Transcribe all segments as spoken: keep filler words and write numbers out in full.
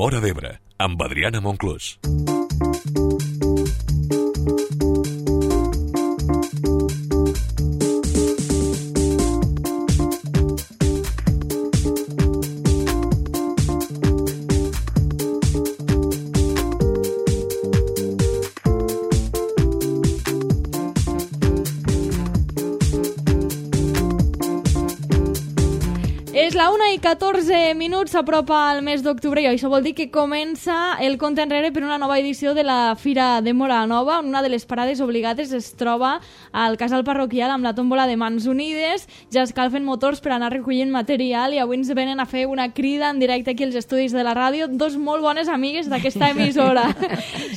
Móra d'Ebre, amb Adriana Monclús. És la una i catorze minuts, s'apropa el mes d'octubre i això vol dir que comença el compte enrere per una nova edició de la Fira de Móra la Nova, on una de les parades obligades es troba al casal parroquial amb la tòmbola de Mans Unides. Ja escalfen motors per anar recollint material i avui ens venen a fer una crida en directe aquí als estudis de la ràdio, dos molt bones amigues d'aquesta emissora.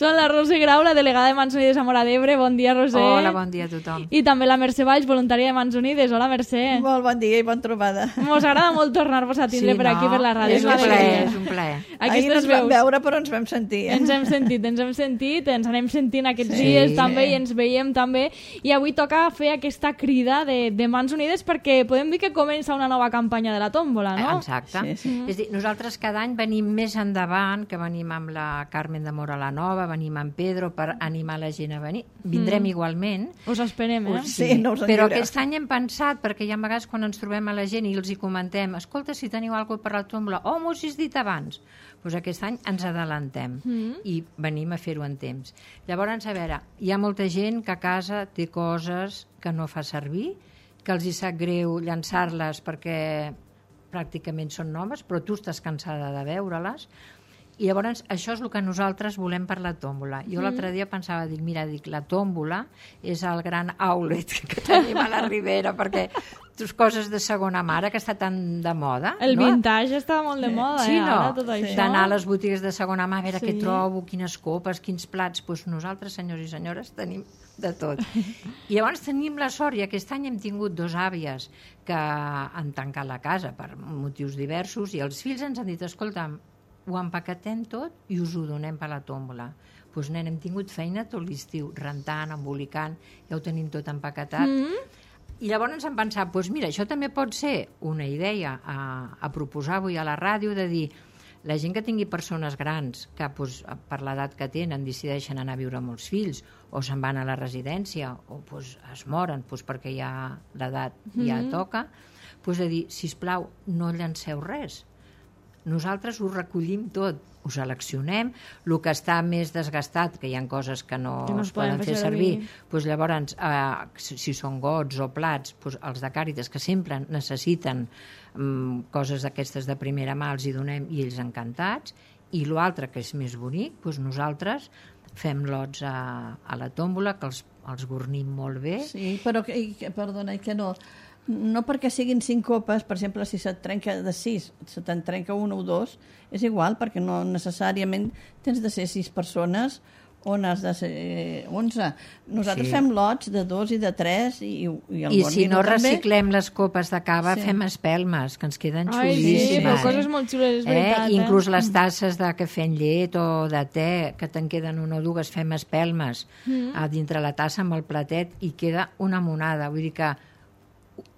Són la Roser Grau, la delegada de Mans Unides a Móra d'Ebre. Bon dia, Roser. Hola, bon dia a tothom. I també la Mercè Valls, voluntària de Mans Unides. Hola, Mercè. Molt bon dia i bon trobada. Mos agrada molt tornar-vos a tindre Sí, per aquí, no? per la ràdio. És un plaer, és un plaer. Ahir no ens vam veure, però ens vam sentir. Eh? Ens hem sentit, ens hem sentit, ens anem sentint aquests Sí. dies també i ens veiem també. I avui toca fer aquesta crida de, de Mans Unides perquè podem dir que comença una nova campanya de la tòmbola, no? Exacte. Sí, sí. És a dir, nosaltres cada any venim més endavant, que venim amb la Carmen de Móra la Nova, venim amb Pedro per animar la gent a venir. Vindrem Mm. igualment. Us esperem, eh? Sí, no us en Però lliureu. aquest any hem pensat, perquè hi ha vegades quan ens trobem a la gent i els hi comentem, escolta, si teniu alguna cosa per la tòmbola, oh, m'ho has dit abans. Doncs aquest any ens adelantem Mm. i venim a fer-ho en temps. Llavors, a veure, hi ha molta gent que a casa té coses que no fa servir, que els hi sap greu llançar-les perquè pràcticament són noves, però tu estàs cansada de veure-les. I llavors això és el que nosaltres volem per la tòmbola. Jo l'altre dia pensava, dic, mira, dic, la tòmbola és el gran outlet que tenim a la Ribera, perquè tus coses de segona mà, ara que està tan de moda. El no? vintage està molt de moda, Sí, eh? no? Ara tot això. D'anar a les botigues de segona mà a veure Sí. què trobo, quines copes, quins plats. Doncs nosaltres, senyors i senyores, tenim de tot. I llavors tenim la sort, i aquest any hem tingut dos àvies que han tancat la casa per motius diversos, i els fills ens han dit, escolta'm, ho empaquetem tot i us ho donem per la tòmbola. Doncs, nen, hem tingut feina tot l'estiu, rentant, embolicant, ja ho tenim tot empaquetat. Mm. I llavors ens hem pensat, doncs mira, això també pot ser una idea a, a proposar avui a la ràdio, de dir, la gent que tingui persones grans, que doncs, per l'edat que tenen decideixen anar a viure amb els fills, o se'n van a la residència, o doncs, es moren doncs, perquè ja l'edat ja Mhm. toca, doncs de dir, sisplau, no llanceu res. Nosaltres ho recollim tot, ho seleccionem, el que està més desgastat, que hi ha coses que no, Que no es poden fer servir, doncs llavors, eh, si, si són gots o plats, doncs els de Càritas, que sempre necessiten um, coses d'aquestes de primera mà, els hi donem i ells encantats, i l'altre, que és més bonic, doncs nosaltres fem lots a, a la tòmbola, que els, els gornim molt bé. Sí, però, que, i que- perdona, i que no... No perquè siguin cinc copes, per exemple, si se't trenca de sis, se te'n trenca una o dos, és igual, perquè no necessàriament tens de ser sis persones on has de ser onze. Nosaltres Sí. fem lots de dos i de tres i, i el I Gornino si no també. reciclem les copes de cava, Sí. fem espelmes, que ens queden Ai, sí, xulíssimes. però coses molt xules, és veritat. Eh? Inclús les tasses de cafè en llet o de te, que te'n queden una o dues, fem espelmes Mm. a dintre la tassa amb el platet i queda una monada. Vull dir que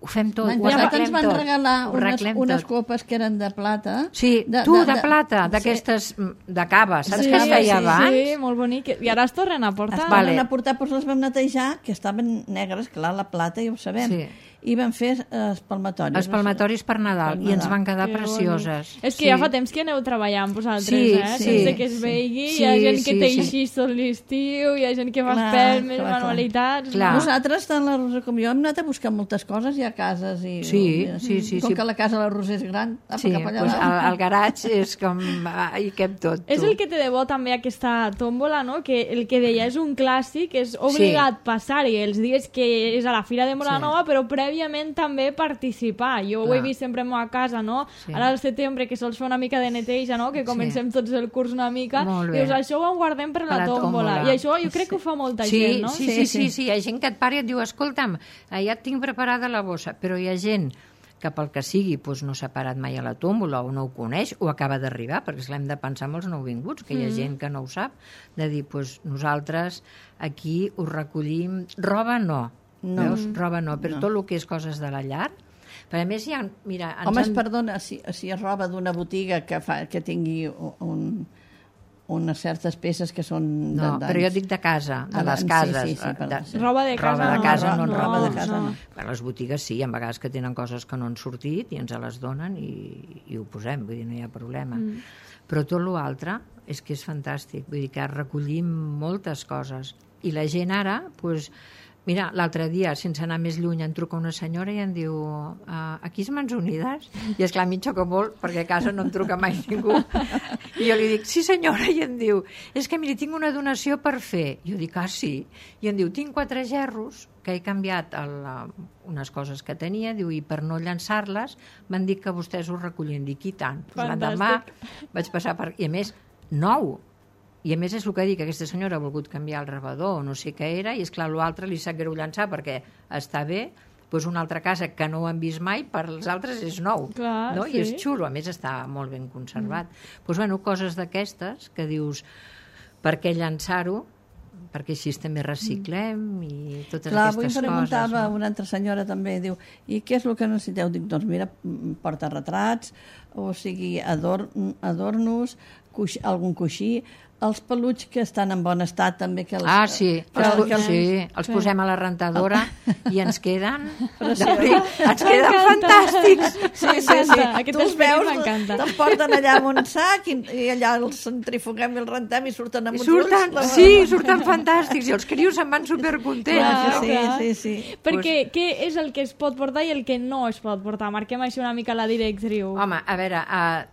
ho fem tot, L'any ho passat arreglem ens van tot. regalar ho unes, arreglem unes tot. copes que eren de plata. Sí, de- tu, de- de, de- plata, sí. d'aquestes de cava, saps Sí, que es feia sí, abans? Sí, molt bonic. I ara es tornen a portar. Es Vale. van a portar, doncs les vam netejar, que estaven negres, clar, la plata, ja ho sabem. Sí. I vam fer eh, espalmatoris. Espalmatoris per Nadal, Per i ens Nadal. van quedar Que precioses. bonic. És que Sí. ja fa temps que aneu treballant vosaltres, Sí, eh? sí, Sense que es sí. vegi. Sí, Hi ha gent que sí, té sí. així tot l'estiu, hi ha gent que fa Clar, espelmes, clar, clar. manualitats... Clar. no? Nosaltres, tant la Roser com jo, hem anat a buscar moltes coses i a cases. I, Sí, i, sí, sí, Com sí. que la casa de la Roser és gran, apa, Sí, cap allà doncs dalt. el, el garatge és com... ah, hi cap tot. És tu. el que té de bo també aquesta tòmbola, no? Que el que deia és un clàssic, és obligat passar-hi els dies que és a la Fira de Móra Sí. Nova, però prèviament també participar. Jo ho he Clar. vist sempre a meva casa, no? Sí. Ara al setembre, que sols fa una mica de neteja, no? Que comencem tots el curs una mica. Molt bé. Dius, això ho guardem per la, Per la tòmbola. tòmbola. I això jo crec que ho fa molta Sí, gent, no? sí, sí, sí, sí, hi ha gent que et para i et diu, escolta'm, eh, ja et tinc preparada la bossa, però hi ha gent que pel que sigui doncs no s'ha parat mai a la tòmbola o no ho coneix o acaba d'arribar, perquè és l'hem de pensar amb els nouvinguts, que hi ha gent que no ho sap, de dir, doncs nosaltres aquí us recollim, roba no, No. veus? Roba no, però No. tot el que és coses de la llar, Però a més hi ha... Mira, ens Home, han... perdona, si, si és roba d'una botiga que, fa, que tingui un, unes certes peces que són... No, de, però jo dic de casa, de Ah, les sí, cases. sí, sí, perdó, de, sí. Roba de casa roba de no. casa no, No, no, roba de no, casa no. Bueno, les botigues sí, hi ha vegades que tenen coses que no han sortit i ens les donen i, i ho posem, vull dir, no hi ha problema. Mm. Però tot l'altre és que és fantàstic, vull dir que recollim moltes coses. I la gent ara, doncs, mira, l'altre dia, sense anar més lluny, em truca una senyora i em diu uh, aquí és Mans Unides? I esclar, a mi em xoca molt perquè a casa no em truca mai ningú. I jo li dic, sí senyora, i em diu, és que miri, tinc una donació per fer. I jo dic, ah sí? I em diu, tinc quatre gerros que he canviat el, uh, unes coses que tenia, diu, i per no llançar-les m'han dit que vostès ho recollien. Dic, i tant. Pues l'endemà vaig passar per... I a més, nou. I a més és el que dic, que aquesta senyora ha volgut canviar el rebedor o no sé què era, i és clar, l'altre li sap greu llançar perquè està bé, doncs una altra casa que no ho han vist mai, per als altres és nou. Clar, no? sí. I és xulo, a més està molt ben conservat. Doncs, mm. pues, bueno, coses d'aquestes que dius, per què llançar-ho? Perquè així també reciclem i totes Clar, aquestes coses. Clar, avui preguntava no? una altra senyora també, diu, i què és el que necessiteu? Dic, doncs mira, porta retrats, o sigui, ador adornos, coix, algun coixí, els peluts que estan en bon estat també que els, ah, sí, que, els, que, sí, els posem a la rentadora i ens queden Sí. ens queden fantàstics. Sí, sí, sí. Aquest Tu els esperit veus, m'encanta. te'ls porten allà amb un sac i, i allà els centrifuguem i els rentem i surten amb I uns surten, ulls. sí, surten fantàstics i els crios se'n van supercontents. Clar, no? Sí, clar. sí, sí. Perquè què és el que es pot portar i el que no es pot portar? Marquem així una mica la directriu. Home, a veure, uh,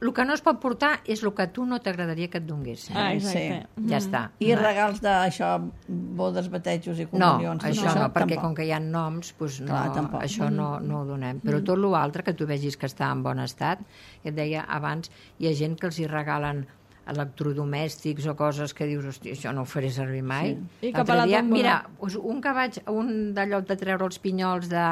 el que no es pot portar és el que a tu no t'agradaria que et donguessin. Ah, exacte. Sí. Ja està. I regals d'això, bodes, batejos i No, comunions. tot això no, perquè tampoc. com que hi ha noms, doncs no, Clar, tampoc. això no, no ho donem. Però tot l'altre que tu vegis que està en bon estat, et deia abans, hi ha gent que els hi regalen electrodomèstics o coses que dius, hòstia, això no ho faré servir mai. Sí. I cap a la dia, tòmbola. mira, doncs un que vaig, un d'allò de treure els pinyols de,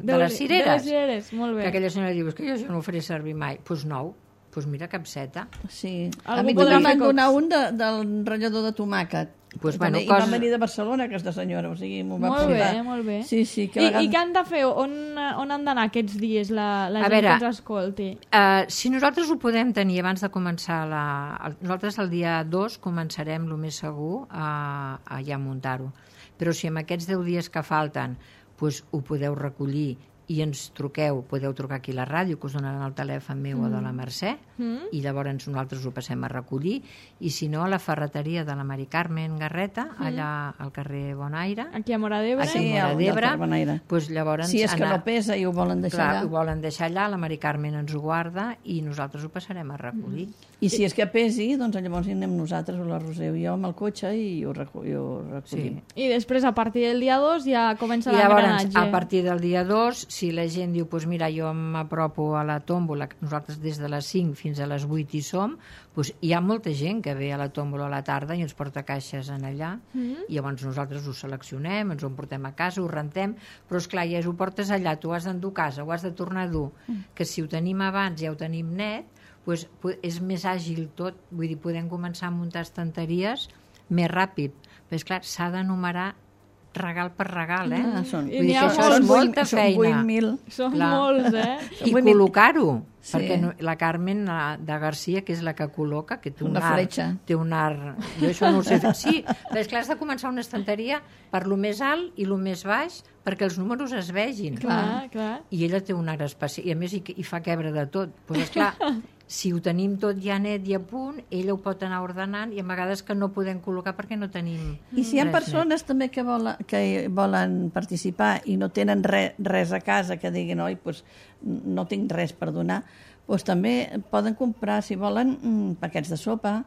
de, De les cireres, De les cireres, molt bé. que aquella senyora diu, és que jo això no ho faré servir mai. Doncs pues nou, doncs pues mira, capseta. Sí. Algú A mi podrà també fer m'han cops. donat un de, del ratllador de tomàquet. Pues, I bueno, també- I coses- va venir de Barcelona, aquesta senyora, o sigui, m'ho va Molt portar. bé, molt bé. Sí, sí. Que I, a vegades... I què han de fer? On, on han d'anar aquests dies la, la A gent veure, que ens escolti? Uh, si nosaltres ho podem tenir abans de començar la... el- nosaltres el dia dos començarem el més segur a, a ja muntar-ho, però si en aquests deu dies que falten pues, ho podeu recollir i ens truqueu, podeu trucar aquí a la ràdio, que us donaran el telèfon meu mm. o de la Mercè, mm. i llavors nosaltres ho passem a recollir, i si no, a la ferreteria de la Mari Carmen Garreta, mm. allà al carrer Bonaire, Aquí a Mora d'Ebre? aquí Sí, a Mora al d'Ebre, Delta Bonaire. pues, llavors Si és que anar... no pesa i ho volen deixar Clar, allà. ho volen deixar allà, la Mari Carmen ens ho guarda i nosaltres ho passarem a recollir. I si és que pesi, doncs llavors hi anem nosaltres, o la Roser o jo, amb el cotxe i ho, recu i ho recollim. Sí. I després, a partir del dia dos, ja comença I llavors, l'engranatge. a partir del dia dos, si la gent diu, doncs mira, jo m'apropo a la tòmbola, nosaltres des de les cinc fins a les vuit hi som, doncs hi ha molta gent que ve a la tòmbola a la tarda i ens porta caixes en allà, mm. i llavors nosaltres ho seleccionem, ens ho emportem a casa, ho rentem, però esclar, ja ho portes allà, tu ho has d'endur a casa, ho has de tornar a dur, mm. que si ho tenim abans ja ho tenim net, doncs és més àgil tot, vull dir, podem començar a muntar estanteries més ràpid, però esclar, s'ha de numerar regal per regal, eh? Ah, són, I Vull dir n'hi ha que això molts. és molta són feina. vuit mil. Són Clar. molts, eh? I vull dir- col·locar-ho, Sí. perquè no, la Carmen la, de Garcia, que és la que col·loca, que té un Una art, fletxa. té un art, jo això no ho sé fer. Sí, però és clar, has de començar una estanteria per lo més alt i lo més baix perquè els números es vegin. Clar, clar. I ella té un art especial, i a més hi, hi fa quebre de tot. Doncs esclar, si ho tenim tot ja net i a punt, ella ho pot anar ordenant i a vegades que no podem col·locar perquè no tenim I si hi ha res net. persones també que volen, que volen participar i no tenen re, res a casa, que diguin, oi, pues, no tinc res per donar, doncs també poden comprar, si volen, mm, paquets de sopa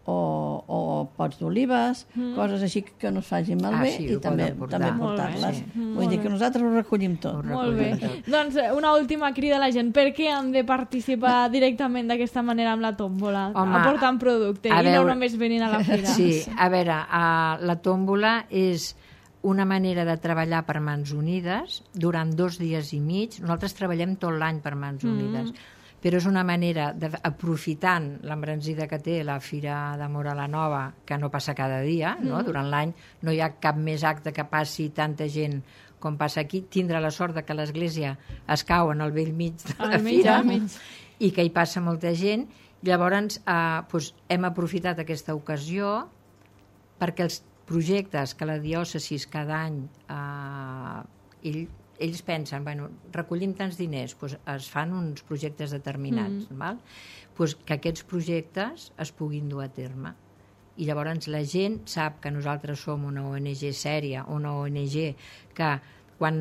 o, o pots d'olives, mm. coses així que no es facin Ah, malbé sí, i ho també, poden portar. també Molt bé, portar-les. sí. Vull Molt dir bé. que nosaltres ho recollim tot. Ho Molt bé. recollim tot. Doncs eh, una última crida a la gent. Per què han de participar directament d'aquesta manera amb la tòmbola? Home, aportant producte a i no veure- només venint a la fira. Sí, a veure, uh, la tòmbola és una manera de treballar per Mans Unides durant dos dies i mig. Nosaltres treballem tot l'any per Mans Unides, mm. però és una manera, de, aprofitant l'embranzida que té la Fira de Móra la Nova, que no passa cada dia, no? Mm. Durant l'any no hi ha cap més acte que passi tanta gent com passa aquí, tindre la sort de que l'església es cau en el vell mig de la Al mig, fira al mig. i que hi passa molta gent. Llavors eh, doncs hem aprofitat aquesta ocasió perquè els projectes que la diòcesi cada any eh, ell, ells pensen, bueno, recollim tants diners, doncs es fan uns projectes determinats, mm. val? Doncs que aquests projectes es puguin dur a terme. I llavors la gent sap que nosaltres som una O N G sèria, una O N G que quan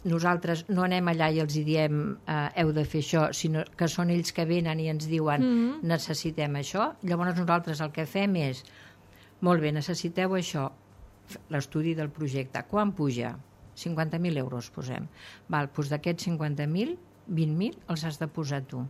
nosaltres no anem allà i els diem eh, heu de fer això, sinó que són ells que venen i ens diuen mm. necessitem això, llavors nosaltres el que fem és molt bé, necessiteu això, l'estudi del projecte, quan puja? cinquanta mil euros posem. Val, doncs d'aquests cinquanta mil, vint mil els has de posar tu,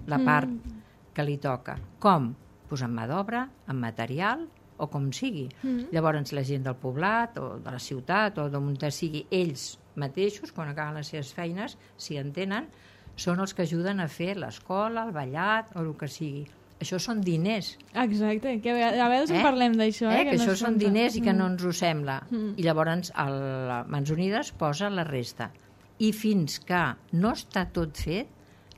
la part mm. que li toca. Com? Pues amb mà d'obra, amb material o com sigui. Mm. Llavors la gent del poblat o de la ciutat o d'on sigui, ells mateixos, quan acaben les seves feines, si en tenen, són els que ajuden a fer l'escola, el ballat o el que sigui. Això són diners. Exacte, que a vegades eh? en parlem d'això. Eh? Eh? Que, que no això són compta. diners i que mm. no ens ho sembla. Mm. I llavors el Mans Unides posa la resta. I fins que no està tot fet,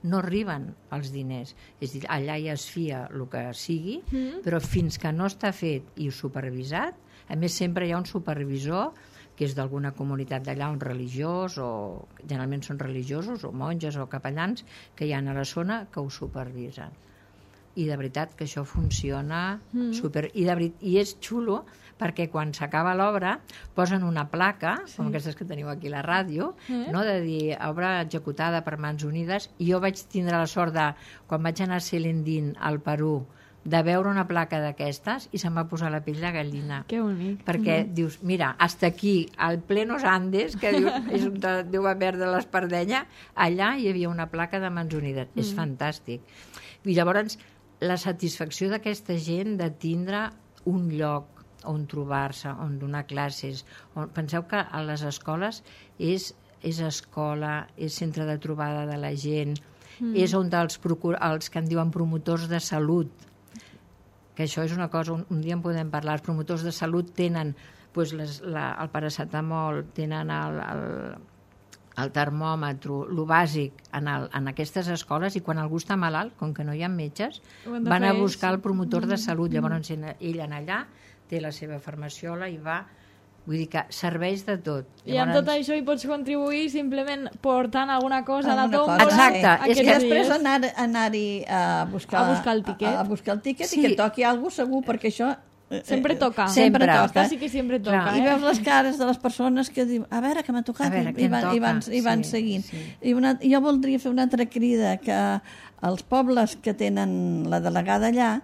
no arriben els diners. És a dir, allà ja es fia el que sigui, mm. però fins que no està fet i supervisat, a més sempre hi ha un supervisor que és d'alguna comunitat d'allà, un religiós, o generalment són religiosos, o monges o capellans, que hi ha a la zona que ho supervisen. I de veritat que això funciona mm. super... I, de veritat, I és xulo perquè quan s'acaba l'obra posen una placa, sí. com aquestes que teniu aquí a la ràdio, mm. no? De dir obra executada per Mans Unides, i jo vaig tindre la sort de, quan vaig anar a Selendín, al Perú, de veure una placa d'aquestes i se'm va posar la pell de gallina. Que bonic. Perquè mm. dius, mira, hasta aquí, al plenos Andes, que diu, és on deu haver de l'Espardenya, allà hi havia una placa de Mans Unides. Mm. És fantàstic. I llavors la satisfacció d'aquesta gent de tindre un lloc on trobar-se, on donar classes. On... Penseu que a les escoles és, és escola, és centre de trobada de la gent, mm. és on els, procur... els que en diuen promotors de salut, que això és una cosa, un, un dia en podem parlar, els promotors de salut tenen doncs, les, la, el paracetamol, tenen el, el, el termòmetre, el bàsic en, el, en aquestes escoles, i quan algú està malalt, com que no hi ha metges, van a buscar el promotor mm. de salut. Llavors ell en allà té la seva farmaciola i va, vull dir que serveix de tot. Llavors... I amb tot això hi pots contribuir simplement portant alguna cosa a la Alguna tòmbola. Exacte. És que després anar, anar-hi a buscar, a buscar el tiquet, a, a buscar el tiquet sí. i que toqui alguna cosa segur, perquè això... Sempre toca. Sempre, sempre toca. Sí que sempre toca. Clar. Eh? I veus les cares de les persones que diuen a veure, que m'ha tocat, veure, i, van, i, van, i van sí, seguint. Sí. I una, jo voldria fer una altra crida, que els pobles que tenen la delegada allà,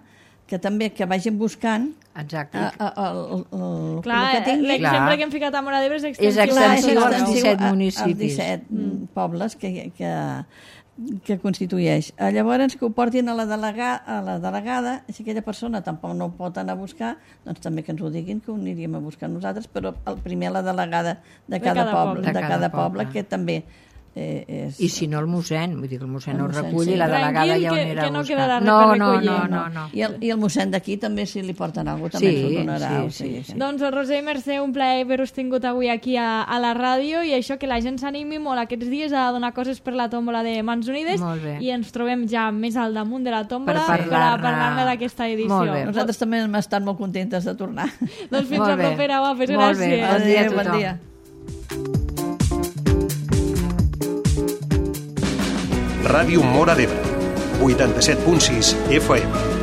que també que vagin buscant Exacte. a, a, a, a, a, Clar, el que tingui. l'exemple que hem ficat a Móra d'Ebre és extensiu. És extensiu Clar, als extensiu disset a- municipis. als disset mm. pobles que, que, que constitueix. Eh, Llavors, que ho portin a la, delega, a la delegada, si aquella persona tampoc no ho pot anar a buscar, doncs també que ens ho diguin, que ho aniríem a buscar nosaltres, però el primer a la delegada de cada, cada poble, poble. de De cada cada poble, poble. que també eh, és... I si no el mossèn, vull dir que el mossèn El ho mossèn, recull sí. i la delegada Tranquil, ja ho que- anirà que no a buscar. quedarà res no, per no, recollir. no, no, no. I el, i el mossèn d'aquí també, si li porten alguna cosa, també Sí, ens ho donarà. sí, o sigui, sí, sí. Doncs Roser i Mercè, un plaer haver-vos tingut avui aquí a, a la ràdio, i això, que la gent s'animi molt aquests dies a donar coses per la tòmbola de Mans Unides. Molt bé. I ens trobem ja més al damunt de la tòmbola Per per, a parlar-ne. parlar-ne d'aquesta edició. Molt bé. Nosaltres també hem estat molt contentes de tornar. Doncs fins Molt la bé. propera, guapes, Molt bé. gràcies. Bon dia a Adéu, bon tothom. dia. Ràdio Móra d'Ebre, vuitanta-set punt sis F M.